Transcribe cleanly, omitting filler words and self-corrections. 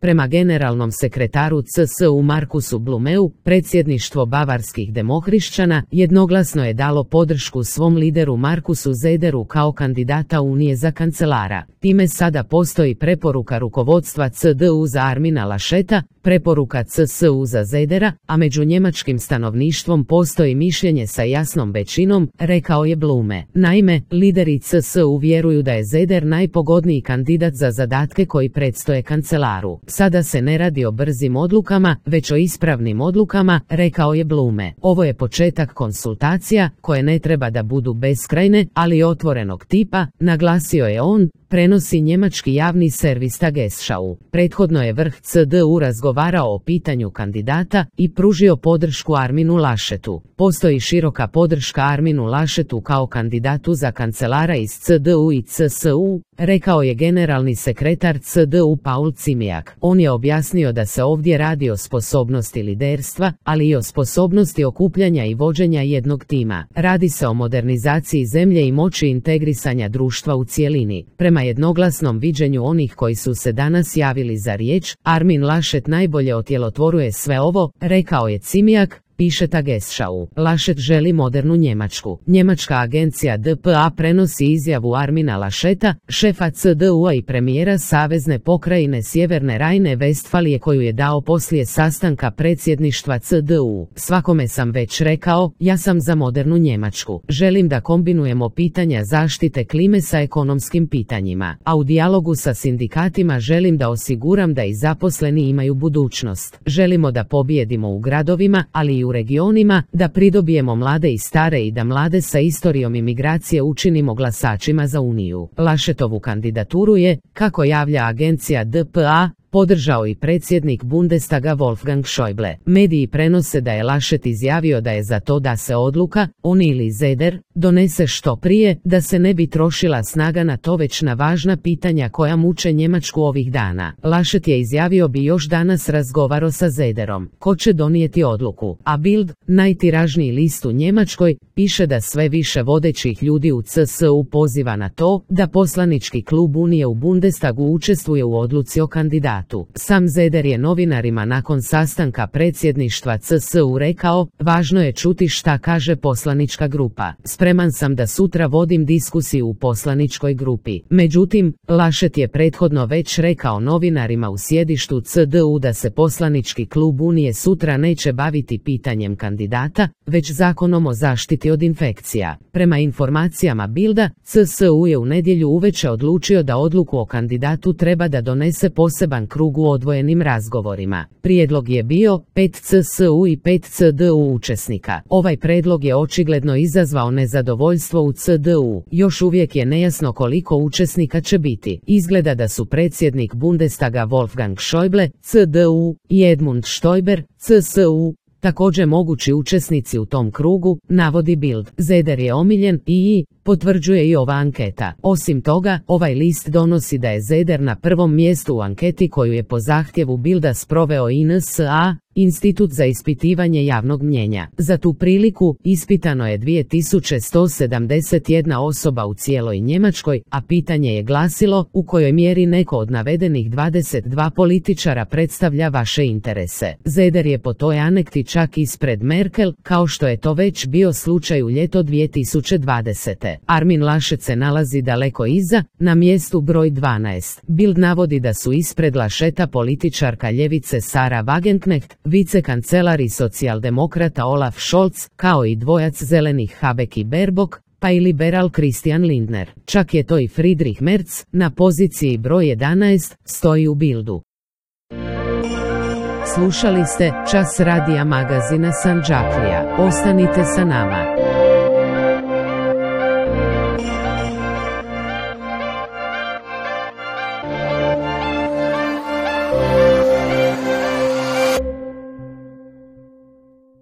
Prema generalnom sekretaru CSU Markusu Blumeu, predsjedništvo bavarskih demohrišćana jednoglasno je dalo podršku svom lideru Markusu Zederu kao kandidata Unije za kancelara. Time sada postoji preporuka rukovodstva CDU za Armina Lascheta, preporuka CSU za Zedera, a među njemačkim stanovništvom postoji mišljenje sa jasnom većinom, rekao je Blume. Naime, lideri CSU vjeruju da je Zeder najpogodniji kandidat za zadatke koji predstoje kancelaru. Sada se ne radi o brzim odlukama, već o ispravnim odlukama, rekao je Blume. Ovo je početak konsultacija, koje ne treba da budu beskrajne, ali otvorenog tipa, naglasio je on, prenosi njemački javni servis Tagesschau. Prethodno je vrh CDU razgovarao o pitanju kandidata i pružio podršku Arminu Laschetu. Postoji široka podrška Arminu Laschetu kao kandidatu za kancelara iz CDU i CSU, rekao je generalni sekretar CDU Paul Ziemiak. On je objasnio da se ovdje radi o sposobnosti liderstva, ali i o sposobnosti okupljanja i vođenja jednog tima. Radi se o modernizaciji zemlje i moći integrisanja društva u cijelini. Prema jednoglasnom viđenju onih koji su se danas javili za riječ, Armin Laschet najbolje otjelotvoruje sve ovo, rekao je Ziemiak, piše Tagesschau. Laschet želi modernu Njemačku. Njemačka agencija DPA prenosi izjavu Armina Lascheta, šefa CDU-a i premijera Savezne pokrajine Sjeverne Rajne-Vestfalije koju je dao poslije sastanka predsjedništva CDU. Svakome sam već rekao, ja sam za modernu Njemačku. Želim da kombinujemo pitanja zaštite klime sa ekonomskim pitanjima, a u dijalogu sa sindikatima želim da osiguram da i zaposleni imaju budućnost. Želimo da pobijedimo u gradovima, ali i u regionima, da pridobijemo mlade i stare i da mlade sa istorijom imigracije učinimo glasačima za Uniju. Laschetovu kandidaturu je, kako javlja agencija DPA, podržao i predsjednik Bundestaga Wolfgang Schäuble. Mediji prenose da je Laschet izjavio da je za to da se odluka, on ili Zeder, donese što prije, da se ne bi trošila snaga na to već na važna pitanja koja muče Njemačku ovih dana. Laschet je izjavio bi još danas razgovarao sa Zederom. Ko će donijeti odluku? A Bild, najtiražniji list u Njemačkoj, piše da sve više vodećih ljudi u CSU poziva na to da poslanički klub Unije u Bundestagu učestvuje u odluci o kandidatu. Sam Zeder je novinarima nakon sastanka predsjedništva CSU rekao, važno je čuti šta kaže poslanička grupa. Spreman sam da sutra vodim diskusiju u poslaničkoj grupi. Međutim, Laschet je prethodno već rekao novinarima u sjedištu CDU da se poslanički klub Unije sutra neće baviti pitanjem kandidata, već zakonom o zaštiti od infekcija. Prema informacijama Bilda, CSU je u nedjelju uveče odlučio da odluku o kandidatu treba da donese poseban krug u odvojenim razgovorima. Prijedlog je bio 5 CSU i 5 CDU učesnika. Ovaj predlog je očigledno izazvao nezadovoljstvo u CDU. Još uvijek je nejasno koliko učesnika će biti. Izgleda da su predsjednik Bundestaga Wolfgang Schäuble, CDU, i Edmund Stoiber, CSU, također mogući učesnici u tom krugu, navodi Bild. Zeder je omiljen i potvrđuje i ova anketa. Osim toga, ovaj list donosi da je Zeder na prvom mjestu u anketi koju je po zahtjevu Bilda sproveo INSA, Institut za ispitivanje javnog mnjenja. Za tu priliku ispitano je 2171 osoba u cijeloj Njemačkoj, a pitanje je glasilo u kojoj mjeri neko od navedenih 22 političara predstavlja vaše interese. Zeder je po toj anketi čak ispred Merkel, kao što je to već bio slučaj u ljeto 2020. Armin Laschet se nalazi daleko iza, na mjestu broj 12. Bild navodi da su ispred Lascheta političarka ljevice Sara Wagenknecht, vicekancelar i socijaldemokrata Olaf Scholz, kao i dvojac zelenih Habeck i Baerbock, pa i liberal Christian Lindner. Čak je to i Friedrich Merz, na poziciji broj 11, stoji u Bildu. Slušali ste Čas radija magazina Sandžaklija. Ostanite sa nama.